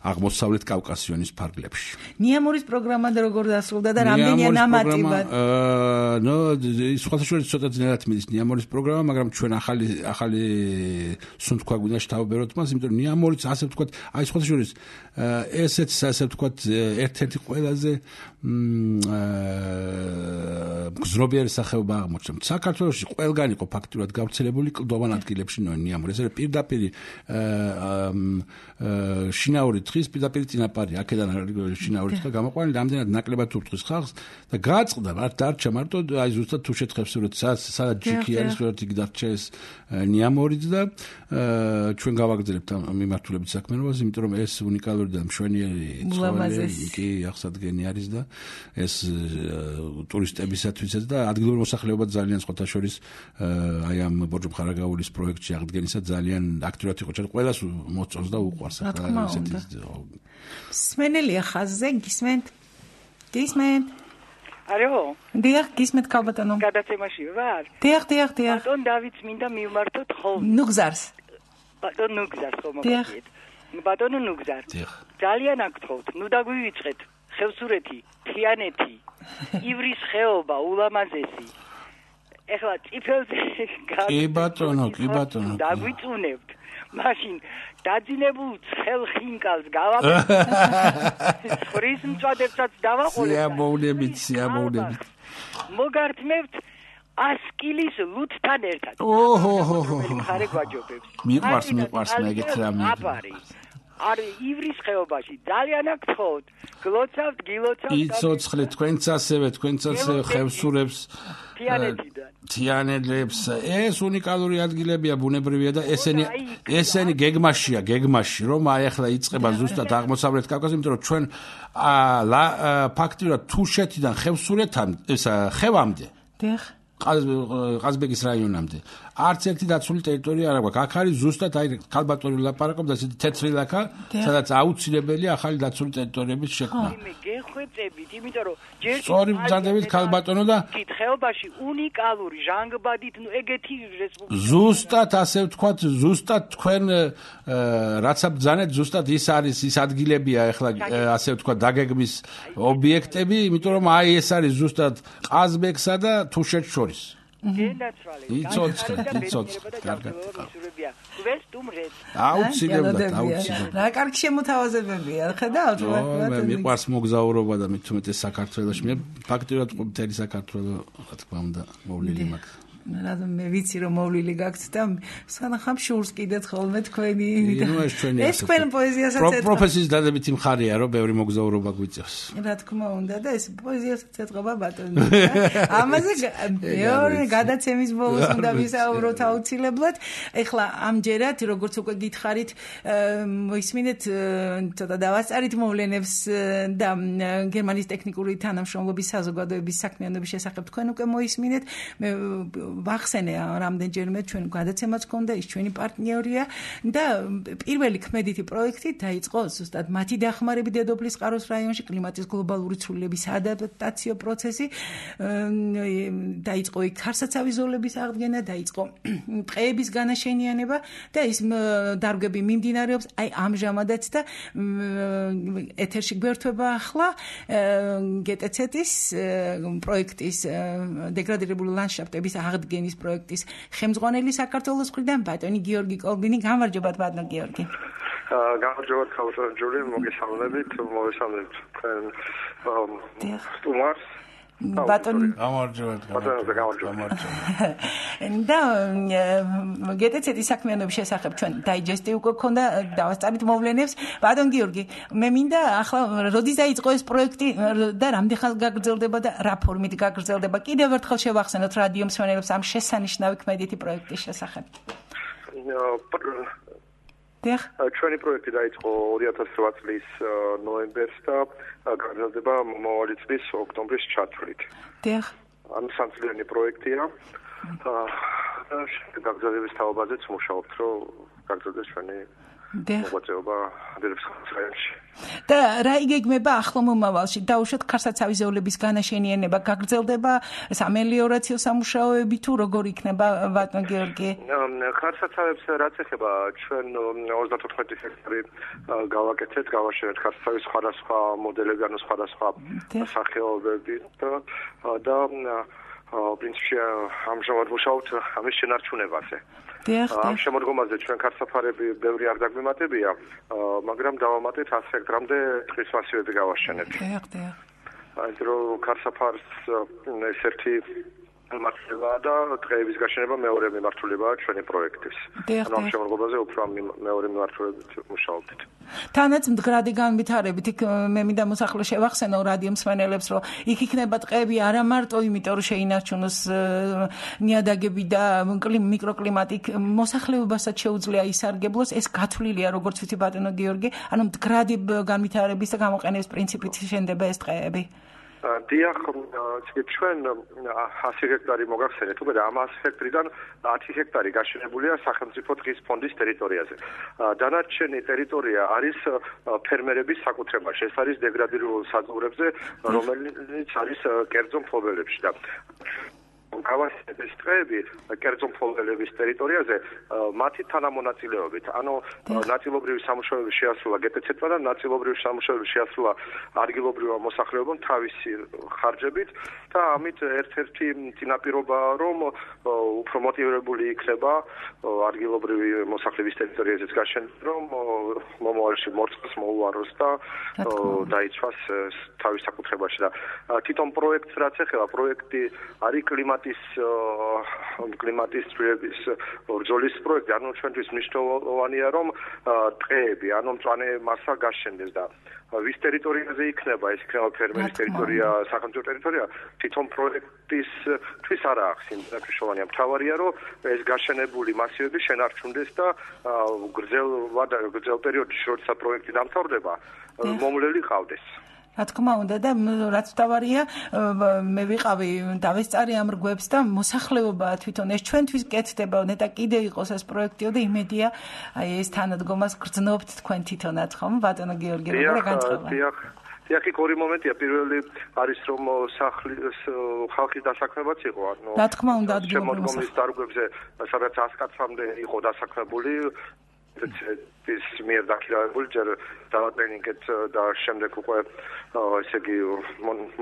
D: აღმოსავლეთ კავკასიონის ფარგლებში.
B: ნიამურის პროგრამა როგორ დასრულდა და რამდენია ნამატიბად?
D: სხვადასხვა ცოტა ძნელად მიდის ნიამურის პროგრამა, მაგრამ ჩვენ ახალი სუნთქვა გვინდა შეთავებეროთ მას, იმიტომ რომ ნიამურიც ასე ვთქვათ, აი სხვადასხვა ესეც ასე ვთქვათ, ერთ-ერთი ყველაზე გზნობიერი სახეობა აღმოჩნდა. საქართველოში ყველგან იყო ფაქტურად გავრცელებული კლდოვან ადგილებში ნიამური. ეს არის პირდაპირ შინაური თხის პირდაპირ წინაპარი, აქედან შინაური თხა გამოყვანილი, რამდენად ნაკლებად ურტყვის ხალხს და გააწყდა, დარჩა მარტო აი ზუსტად თუშეთ ხევსურეთი, სადაც ჯიქი არის, სწორედ იქ დარჩა ეს ნიამურიც და ჩვენ გავაგრძელებთ ამ მიმართულებით საქმიანობას, იმიტომ რომ ეს უნიკალური და მშვენიერი ცხოველი კი აღსადგენი არის და ეს ტურისტებისათვისაც და ადგილობრივ მოსახლეობად ძალიან სხვათა შორის აი ამ ბორჯობ ხარაგაულის პროექტში აღდგენისა ძალიან აქტიურად იყო. ჩვენ ყველას მოწონს და უყვარს ახლა ესეთი.
B: სმენელია ხაზზე, გისმენთ?
E: Алло.
B: დიახ, გისმენთ ქალბატონო.
E: გადაცემაში ვარ?
B: დიახ.
E: ბატონ დავითს მინდა მივმართოთ ხოლმე.
B: ნუგზარს.
E: ბატონ ნუგზარს ხომ მოგიეთ. ბატონო ნუგზარ. ძალიან აკთხოვთ, ნუ დაგვივიწყეთ. ხევსურეთი, თიანეთი, ივრის ხეობა, ულამაზესი. ეხლა წიფელზე
D: კი ბატონო.
E: დაგვიწუნებთ. მაშინ დაძინებულ ცხელ ხინკალს გავაკეთებთ. ხრის მწვადებსაც დავაყოლეთ.
D: სიამოვნებით.
E: მოგართმევთ 100 კილის ლუთთან ერთად. ხარე გვაჯობებს.
D: მიყვარს მე ეგეთ რამე.
E: არის ივრის ხეობაში ძალიან აკთხოვთ. გლოცავთ, გილოცავთ.
D: იცოცხლეთ თქვენც ასევე ხევსურებს. თიანელებს. ეს უნიკალური ადგილებია, ბუნებრივია და ესენი გეგმაში, რომ აი ახლა იწყება ზუსტად აღმოსავლეთ კავკასია, იმიტომ რომ ჩვენ ფაქტიურად თუშეთიდან ხევსურეთთან, ხევამდე.
B: დიახ.
D: ყაზბეგის რაიონამდე. არც ერთი დაცული ტერიტორია არ აქვს. აქ არის ზუსტად აი ქალბატონი ლაპარაკობს ესეთი თეთრი ლაქა, sadაც აუცილებელია ახალი დაცული ტერიტორიების შექმნა.
E: მე გეხვეწებით, იმიტომ რომ ჯერ
D: სწორი ბრძანდებით ქალბატონო და
E: ხეობაში უნიკალური ჟანგბადით ეგეთი რესპუბლიკა.
D: ზუსტად ასე ვთქვათ, ზუსტად თქვენ რაც ბრძანეთ, ზუსტად ის არის ის ადგილებია ახლა ასე ვთქვათ დაგეგმის ობიექტები, იმიტომ რომ აი ეს არის ზუსტად ყაზბეგსა და თუშეთს შორის. იცოცხლეთ, კარგად. აუცილებლად.
B: რა კარგი შემოთავაზებებია, ხედავთ?
D: მე მიყვარს მოგზაურობა და მით უმეტეს საქართველოში. მე ფაქტიურად მთელი საქართველო, რა თქმა უნდა, მოვლილი მაქვს.
B: რადგან მე ვიცი რომ მოვლილი გაქვთ და სანახამ შურს კიდეთ ხოლმე თქვენი ეს თქვენ პოეზიასაც ეთყობა
D: პროფესიის დადებითი მხარეა რომ ბევრი მოგზაურობა გვიწევს
B: რა თქმა უნდა და ეს პოეზიასაც ეთყობა ბატონო ამაზე მეორე გადაცემის ბოლოს უნდა ვისაუბროთ აუცილებლად ეხლა ამჯერად როგორც უკვე გითხარით მოისმინეთ ცოტა დავასწარით მოვლენებს და გერმანიის ტექნიკური თანამშრომლობის საზოგადოების საქმიანობის შესახებ თქვენ უკვე მოისმინეთ მე ვახსენე რამდენჯერმე ჩვენ გადაცემაც ჰქონდა ის ჩვენი პარტნიორია და პირველი ქმედითი პროექტი დაიწყო ზუსტად მათი დახმარებით დედოფლის ყაროს რაიონში კლიმატის გლობალური ცვლილების ადაპტაციო პროცესი დაიწყო იქ ხარსაცავი ზოლების აღდგენა დაიწყო ტყეების განაშენიანება და ის დარგები მიმდინარეობს აი ამჟამადაც და ეთერში გვერდება ახლა GTZ-ის პროექტის დეგრადირებული ლანდშაფტების აღდგენის პროექტის ხელმძღვანელი საქართველოს მხრიდან ბატონი გიორგი კოლბინი გამარჯობათ ბატონო გიორგი
F: გამარჯობათ ქალბატონო ჯული მოგესალმებით სტუმარს
B: ბატონი
D: გამარჯობათ
B: და GTZ-ის საქმიანობის შესახებ ჩვენ დაიჯესტი უკვე ქონდა დავასწარით მოვლენებს ბატონ გიორგი მე მინდა ახლა როდის დაიწყო ეს პროექტი და რამდენ ხანს გაგრძელდება და რა ფორმით გაგრძელდება კიდევ ერთხელ შევახსენოთ რადიო მსმენელებს ამ შესანიშნავი ქმედითი პროექტის შესახებ
F: ჩვენი პროექტი დაიწყო 2008 წლის ნოემბერს და გაგრძელდება მომავალი წლის ოქტომბრის ჩათვლით.
B: დიახ.
F: ანუ სამწლიანი პროექტია. გაგრძელების თაობაზეც მუშაობთ, რომ გაგრძელდეს ჩვენი მოღვაწეობა დედოფლის რაიონში.
B: და რა იგეგმება ახლო მომავალში? დაუშვათ ხარსაცავი ზოლების განაშენიანება გაგრძელდება სამელიორაციო სამუშაოები თუ როგორ იქნება ბატონ გიორგი?
F: ხარსაცავებს რაც ეხება ჩვენ 34 ჰექტარი გავაკეთეთ, გავაშენეთ ხარსაცავის სხვადასხვა მოდელები, ანუ სხვადასხვა სახეობები და პრინციპში ამჟამად ვმუშაობთ ამის შენარჩუნებაზე. ამ შემოდგომაზე ჩვენ ხარსაფარები ბევრი არ დაგვიმატებია, მაგრამ დავამატეთ 100 ჰექტრამდე ტყის მასივები გავაშენეთ. აი რომ ხარსაფარს ეს-ერთი მართლება და ტყეების გაშენება მეორე მიმართულებაა ჩვენი პროექტის. ანუ ამ შემოდგომაზე უფრო მეორე მიმართულებით მუშაობთ.
B: თანაც მდგრადი განვითარებით იქ მე მინდა მოსახლე შევახსენო რადიო მსმენელებს რომ იქ იქნება ტყეები არა მარტო იმიტომ რომ შეინარჩუნოს ნიადაგები და მიკროკლიმატი მოსახლეობასაც შეუძლია ისარგებლოს ეს გათვლილია როგორც ვიცი ბატონო გიორგი ანუ მდგრადი განვითარების და გამოყენების პრინციპით შენდება ეს ტყეები
F: დიახ, ჩვენ 100 ჰექტარი მოგახსენეთ, უკვე და ამ 100 ჰექტრიდან 10 ჰექტარი გაშენებულია სახელმწიფო ტყის ფონდის ტერიტორიაზე. დანარჩენი ტერიტორია არის ფერმერების საკუთრებაში. ეს არის დეგრადირებულ საძოვრებზე, რომელიც არის კერძო მფლობელებში და გავასწრებს ტყეები კერძო მფლობელების ტერიტორიაზე მათი თანამონაწილეობით. ანუ ნაწილობრივი სამუშაოები შეასრულა GTZ-მა და ნაწილობრივი სამუშაოები შეასრულა ადგილობრივმა მოსახლეობამ თავისი ხარჯებით და ამით ერთ-ერთი წინაპირობაა რომ უფრო მოტივირებული იქნება ადგილობრივი მოსახლეობის ტერიტორიაზეც გაშენება რომ მომავალში მორწყვას მოუაროს და დაიცვას თავის საკუთრებაში და თვითონ პროექტს რაც ეხება პროექტი არის კლიმატის ცვლილების ბრძოლის პროექტი, ანუ ჩვენთვის მნიშვნელოვანია რომ ტყეები, ანუ მწვანე მასა გაშენდეს და ვის ტერიტორიაზე იქნება, ეს იქნება ფერმერის ტერიტორია, სახელმწიფო ტერიტორია, თვითონ პროექტისთვის არ აქვს მნიშვნელოვანია. მთავარია რომ ეს გაშენებული მასივები შენარჩუნდეს და გრძელ პერიოდში, როცა პროექტი დამთავრდება, მომვლელი ყავდეს.
B: რა თქმა უნდა და რაც თავარია მე ვიყავი დავესწარი ამ რგვებს და მოსახლეობა თვითონ ეს ჩვენთვის კეთდება ნეტა კიდე იყოს ეს პროექტიო და იმედია აი ეს თანადგომას გრძნობთ თქვენ თვითონაც ხომ ბატონო გიორგი როგორ განწყობა
F: დიახ იქ ორი მომენტია პირველი არის რომ ხალხის დასაქმებაც იყო ანუ
B: რა თქმა უნდა
F: შემოდგომის დარგვებზე სადაც 100 კაცამდე იყო დასაქმებული ეს მიერ დაქირავებული ჯერ დაატრენინგეთ და შემდეგ უკვე ესე იგი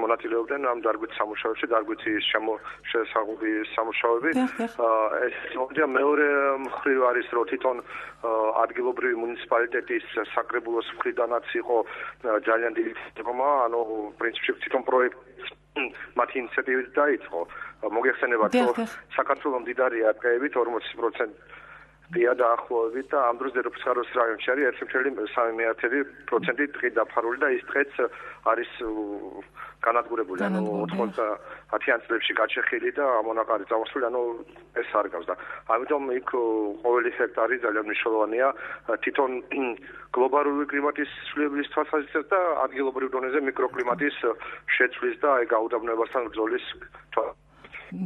F: მონაწილეობდნენ ამ დარგვით სამუშაოებში დარგვითი შესაძლებელი სამუშაოები ეს მომენტია მეორე მხრივ არის რომ თვითონ ადგილობრივი მუნიციპალიტეტის საკრებულოს მხრიდანაც იყო ძალიან დიდი თქმა ანუ პრინციპში თვითონ პროექტი მათი ინიციატივით დაიწყო მოგეხსენებათ რომ საქართველოს მდიდარია ტყეებით 40% დია დაახლოებით და ამ დროს დედოფლის ხაროს რაიონში არის 1.3% ტყით დაფარული და ის ტყეც არის განადგურებული ანუ 90-იან წლებში გაჩეხილი და ამონაყარი წამოსული ანუ ეს არ გავს და ამიტომ იქ ყოველი ჰექტარი ძალიან მნიშვნელოვანია თვითონ გლობალური კლიმატის ცვლილებების თვალსაზრისით და ადგილობრივ დონეზე მიკროკლიმატის შეცვლის და აი გაუდაბნოებასთან ბრძოლის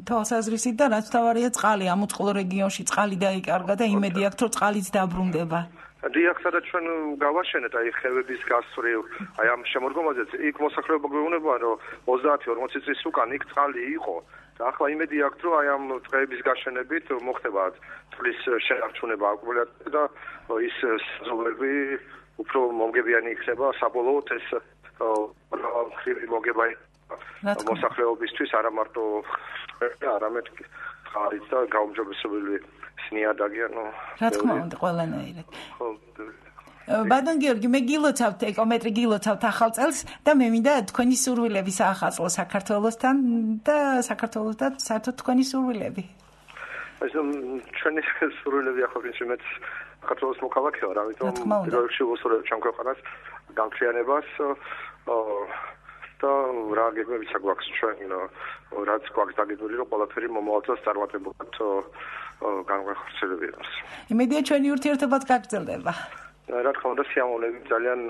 B: თვალსაზრისით და რაც თავარია წყალი ამ უწყლო რეგიონში წყალი დაიკარგა და იმედი აქვს რომ წყალიც დაბრუნდება
F: დიახ სადაც ჩვენ გავაშენეთ აი ხევების გასწვრივ აი ამ შემოდგომაზეც იქ მოსახლეობა გვეუბნება რომ 30-40 წლის უკან იქ წყალი იყო და ახლა იმედი აქვს რომ აი ამ წყლების გაშენებით მოხდება წყლის შენარჩუნება აკუმულატორში და ის ზოლები უფრო მომგებიანი იქნება საბოლოოდ ეს ხრივი მოგება მოსახლეობისთვის არა მარტო არამედ ხარით და გაუმჯობესებული სნიადაგი ანუ
B: რა თქმა უნდა ყველანაირად ბატონ გიორგი მე გილოცავთ ეკომეტრი გილოცავთ ახალ წელს და მე მინდა თქვენი სურვილები საახალწლო საქართველოსთან და საქართველოსთან საერთოდ თქვენი სურვილები
F: ეს ჩვენი სურვილები ახლა პრინციპით საქართველოს მოქალაქე ვარ ამიტომ პირველში ვუსურვებ ჩვენ ქვეყანას გამხიანებას და რა გეგმებიც აქვს ჩვენ რაც გვაქვს დაგებული რომ ყველაფერი მომავალ წელს წარმატებულად განვახორციელებინოს.
B: იმედია ჩვენი ურთიერთობაც გაგრძელდება.
F: რა თქმა უნდა სიამოვნებით ძალიან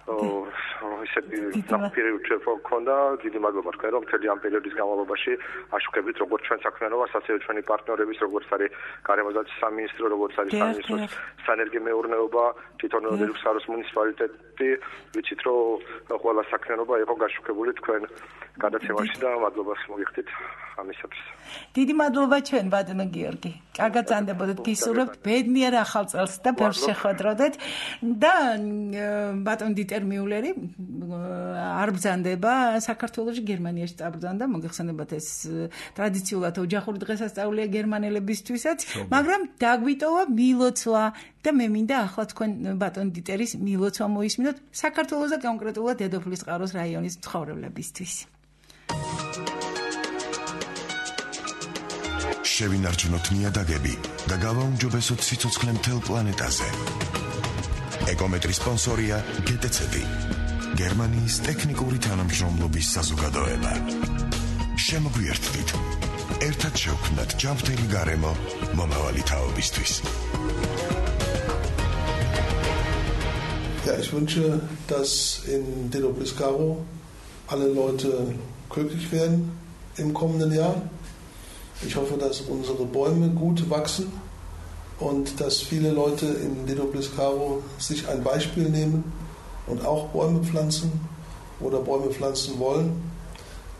F: ისეთი ნაპირი ურთიერთობა გქონდა დიდი მადლობა თქვენ რომ მთელი ამ პერიოდის განმავლობაში აშუქებით როგორც ჩვენ საქმიანობას ასევე ჩვენი პარტნიორების როგორც არის გარემოსდაცვის სამინისტრო როგორც არის სამინისტროს სანერგე მეურნეობა თვითონ დედოფლის ხაროს მუნიციპალიტეტი ვიცით რომ ყველა საქმიანობა იყო გაშუქებული თქვენ გადაცემაში და მადლობას მოგიხდით ამისათვის
B: დიდი მადლობა ჩვენ ბატონო გიორგი კარგად ზანდებოდეთ გისურვებთ ბედნიერ ახალ წელს და ბევრს შეხვედროდეთ და ბატონ დიტერ მიულერი არ ბრძანდება საქართველოში გერმანიაში წაბრძანდა მოგეხსენებათ ეს ტრადიციულად ოჯახური დღესასწაულია გერმანელებისთვისაც მაგრამ დაგვიტოვა მილოცვა და მე მინდა ახლა თქვენ ბატონ დიტერის მილოცვა მოისმინოთ საქართველოს და კონკრეტულად დედოფლის წყაროს რაიონის მცხოვრებლებისთვის
A: შევინარჩუნოთ ნიადაგები და გავაუმჯობესოთ სიცოცხლე მთელ პლანეტაზე. ეკომეტრის სპონსორია GTC-ი, გერმანიის ტექნიკური თანამშრომლობის საზოგადოება. შემოგვიერთდით. ერთად შევქმნათ ჯანმრთელი გარემო მომავალი თაობისთვის.
G: Ja, ich wünsche, dass in Dedoplis-Garo alle Leute glücklich werden im kommenden Jahr. Ich hoffe, dass unsere Bäume gut wachsen und dass viele Leute in Dedoplis-Garo sich ein Beispiel nehmen und auch Bäume pflanzen oder Bäume pflanzen wollen,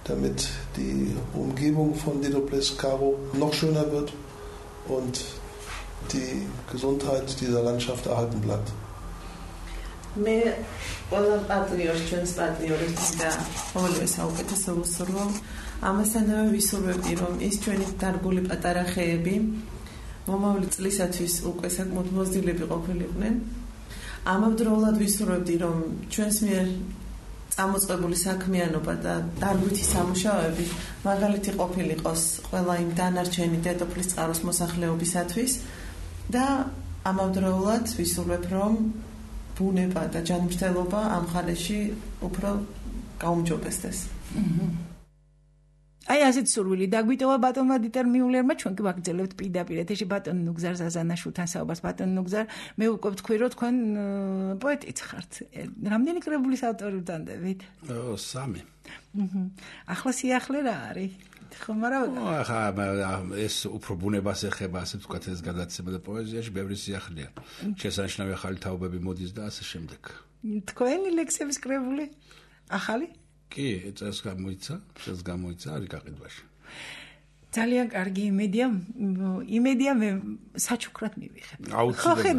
G: damit die Umgebung von Dedoplis-Garo noch schöner wird und die Gesundheit dieser Landschaft erhalten bleibt.
H: მე ყველა პარტნიორს ჩვენს პარტნიორებს და ყოველივე საუკეთესო ვუსურვო ამასთანავე ვისურვებდი რომ ის ჩვენი დარგული პატარა ხეები მომავალი წლისათვის უკვე საკმაოდ მოზრდილები ყოფილიყვნენ ამავდროულად ვისურვებდი რომ ჩვენს მიერ წამოწყებული საქმიანობა და დარგვითი სამუშაოები მაგალითი ყოფილიყოს ყველა იმ დანარჩენი დედოფლის წყაროს მოსახლეობისათვის და ამავდროულად ვისურვებ რომ ბუნება და ჯანმრთელობა ამ ხალხში უფრო გაუმჯობესდეს.
B: აი ასეთ სურვილი დაგვიტოვა ბატონმა დიტერ მიულერმა, ჩვენ კი ვაგრძელებთ პირდაპირ ეთერში ბატონ ნუგზარ ზაზანაშვილთან საუბარს. ბატონ ნუგზარ, მე უკვე ვთქვი, რომ თქვენ პოეტიც ხართ. რამდენი კრებულის ავტორი ვტანდებით?
D: 3.
B: ახლა სიახლე რა არის? ხომ არა?
D: ახლა ეს უფრო ბუნებას ეხება, ასე ვთქვათ, ეს გადაცემა და პოეზიაში ბევრი სიახლეა. შესანიშნავი ახალი თაობები მოდის და ასე შემდეგ.
B: თქვენი ლექსების კრებული? ახალი?
D: კი, წელს გამოიცა, არის გაყიდვაში.
B: ძალიან კარგი იმედია მე საჩუქრად მივიღებ.
D: აუცილებლად.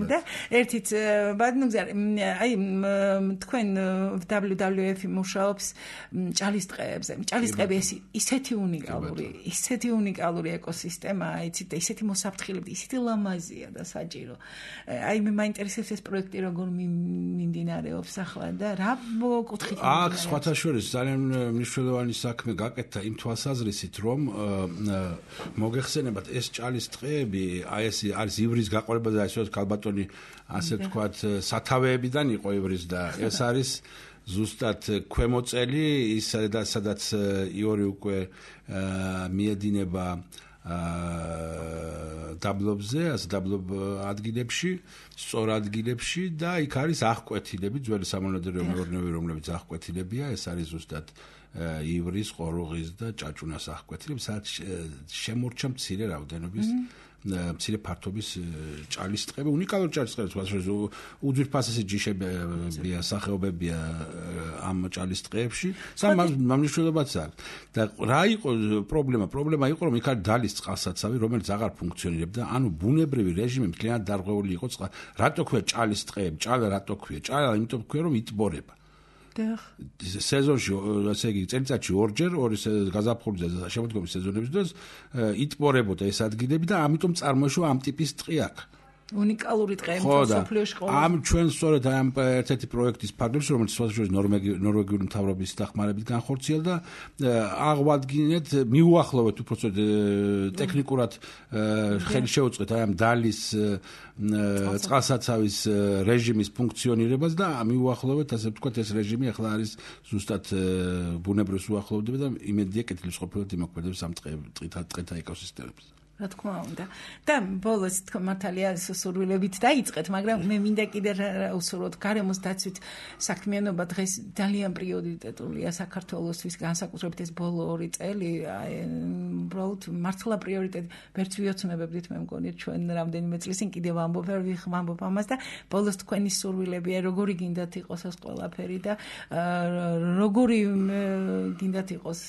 B: და ერთით ბატონგზარ, აი თქვენ WWF-ი მუშაობს ჭალის ტყეებზე. ჭალის ტყეები ისეთი უნიკალური ეკოსისტემაა, იცით, ისეთი მოსაფრთხილები, ისეთი ლამაზია და საჭირო. აი მე მაინტერესებს ეს პროექტი როგორ მიმდინარეობს ახლა და რა კუთხით
D: აქ სხვათა შორის ძალიან მნიშვნელოვანი საქმე გაკეთდა იმ თვალსაზრისით, რომ მოგეხსენებათ ეს ჭალის ტყეები, აი ეს არის ივრის გაყოლება და ასე ქალბატონი ასე ვთქვათ სათავეებიდან იყო ივრის და ეს არის ზუსტად ქვემოწელი ის სადაც იური უკვე მიედინება დაბლობზე, ასე დაბლობ ადგილებში, სწორ ადგილებში და იქ არის აღკვეთილები, ძველი სამონადირო მეურნეობები, რომლებიც აღკვეთილებია, ეს არის ზუსტად ივრის, ყორუღის და ჭაჭუნას აღკვეთილები, სადაც შემორჩა მცირე რაოდენობის მცირე ფართობის ჭალის ტყეები, უნიკალური ჭალის ტყეები, უძვირფასესი ჯიშებია, სახეობებია ამ ჭალის ტყეებში, სამმართველობაც აქვს. და რა იყო პრობლემა? პრობლემა იყო, რომ იქ არის დალის წყალსაცავი, რომელიც აღარ ფუნქციონირებდა, ანუ ბუნებრივი რეჟიმი მთლიანად დარღვეული იყო წყალ. რატო ქვია ჭალის ტყეები? ჭალა რატო ქვია? ჭალა იმიტომ ქვია, რომ იტბორება. სეზონში, ასე იგი, წელიწადში ორჯერ, ორი გაზაფხულიზე და შემოდგომის სეზონების დროს იტბორებოდა ეს ადგილები და ამიტომ წარმოიშვა ამ ტიპის ტყე აქ.
B: უნიკალური ტყე მსოფლიოში ყოლა.
D: ამ ჩვენ სწორედ ამ ერთ-ერთი პროექტის ფარგლებში, რომელიც სწორედ ნორვეგიული მთავრობის დახმარებით განხორციელდა, აღვადგინეთ, მიუახლოვეთ უпроцент ტექნიკურად ხელი შეუწყეთ აი ამ დალის წყალსაცავის რეჟიმის ფუნქციონირებას და მიუახლოვეთ, ასე ვთქვათ, ეს რეჟიმი ახლა არის ზუსტად ბუნებრივს უახლოვდება და იმედია კეთილს ყოფილად იმოქმედებს ამ ტყეთა ეკოსისტემებს.
B: რა თქმა უნდა. და ბოლოს თქო მართალია სურვილებით დაიწყეთ, მაგრამ მე მინდა კიდე უსურვოთ გარემოს დაცვით საქმიანობა დღეს ძალიან პრიორიტეტულია საქართველოსთვის, განსაკუთრებით ეს ბოლო 2 წელი, უბრალოდ მართლა პრიორიტეტი. ვერც ვიოცნებებდით, მე მგონი ჩვენ რამდენიმე წლის წინ კიდევ ვამბობ ამას და ბოლოს თქვენი სურვილებია, როგორი გინდათ იყოს ეს ყველაფერი და როგორი გინდათ იყოს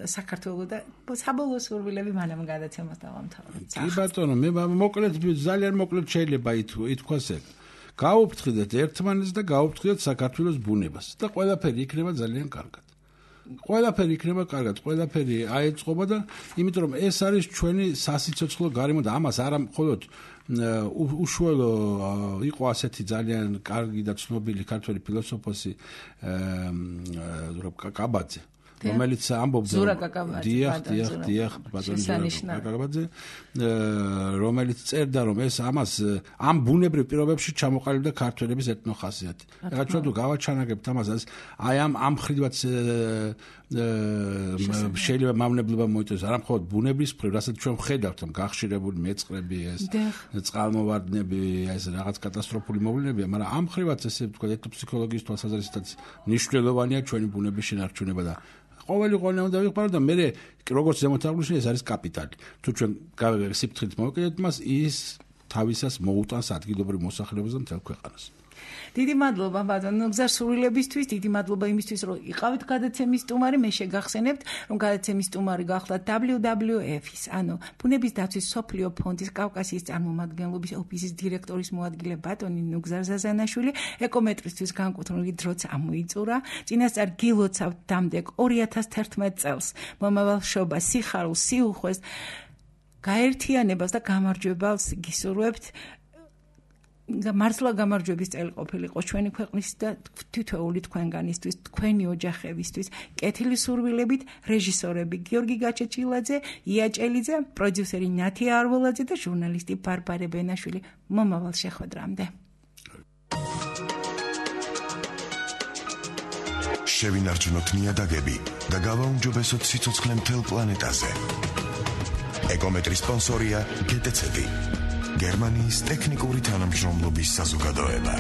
B: საქართველო და საბოლოო სურვილები მანამ გადაცემას
D: კი ბატონო, მე მოკლედ ძალიან მოკლედ შეიძლება ითქვას ეგ. გაუფრთხილდეთ ერთმანეთს და გაუფრთხილდეთ საქართველოს ბუნებას და ყველაფერი იქნება ძალიან კარგად. ყველაფერი აეწყობა და იმიტომ რომ ეს არის ჩვენი სასიცოცხლო გარემო და ამას არა მხოლოდ უშუალო იყო ასეთი ძალიან კარგი და ცნობილი ქართველი ფილოსოფოსი კაკაბაძე, რომელიც ამბობდა დიახ ბატონი რომელიც წერდა რომ ეს ამ ბუნებრივ პირობებში ჩამოყალიბდა ქართველების ეთნოხასიათი. ეხლა ჩვენ თუ გავაჩანაგებთ ამას, აი ამ მხრიდაც შეიძლება მავნებლობა მოიწესოს, არა მხოლოდ ბუნების მხრივ, რასაც ჩვენ ვხედავთ, გახშირებული მეწყრები, ეს წყალმოვარდნები, ეს რაღაც კატასტროფული მოვლენებია, მაგრამ ამ მხრივაც ესე ვთქვათ, ეთნოფსიქოლოგიის თვალსაზრისითაც მნიშვნელოვანია ჩვენი ბუნების შენარჩუნება და ყოველი უნდა ვიყარო და მე როგორც ზემოთაღლუსში ეს არის კაპიტალი. თუ ჩვენ სიფრთხილით მოვეკიდეთ მას, ის თავისას მოუტანს ადგილობრივ მოსახლეობას და მთელ ქვეყანას.
B: დიდი მადლობა ბატონო გზასრულებისთვის, დიდი მადლობა იმისთვის, რომ იყავით გადაცემის სტუმარი. მე შეგახსენებთ, რომ გადაცემის სტუმარი გახლავთ WWF-ის, ანუ ბუნების დაცვის სოფლიო ფონდის კავკასიის წარმომადგენლობის ოფისის დირექტორის მოადგილე ბატონი ნუგზარ ზაზანაშვილი. ეკომეტრისთვის განკუთვნილი დროც ამოიწურა. წინასწარ გილოცავთ დამდეგ 2011 წელს მომავალ შობას, სიხარულს, სიუხვეს, გაერთიანებას და გამარჯვებას გისურვებთ. მართლა გამარჯვების წელი ყოფილიყო ჩვენი ქვეყნის და თითოეული თქვენგანისთვის, თქვენი ოჯახებისთვის. კეთილი სურვილებით, რეჟისორები გიორგი გაჩეჩილაძე, ია ჭელიძე, პროდიუსერი ნათია არველაძე და ჟურნალისტი ბარბარე ბენაშვილი. მომავალ შეხვედრამდე.
A: შევინარჩუნოთ ნიადაგები და გავაუმჯობესოთ სიცოცხლე მთელ პლანეტაზე. ეკომეტრის სპონსორია GTC, გერმანიის ტექნიკური თანამშრომლობის საზოგადოება.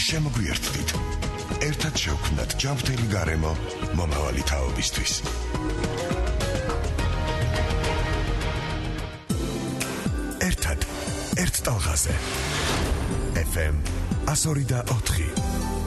A: შემოგვიერთდით, ერთად შევქმნათ ჯანმრთელი გარემო მომავალი თაობისთვის. ერთად, ერთ ტალღაზე. FM 102.4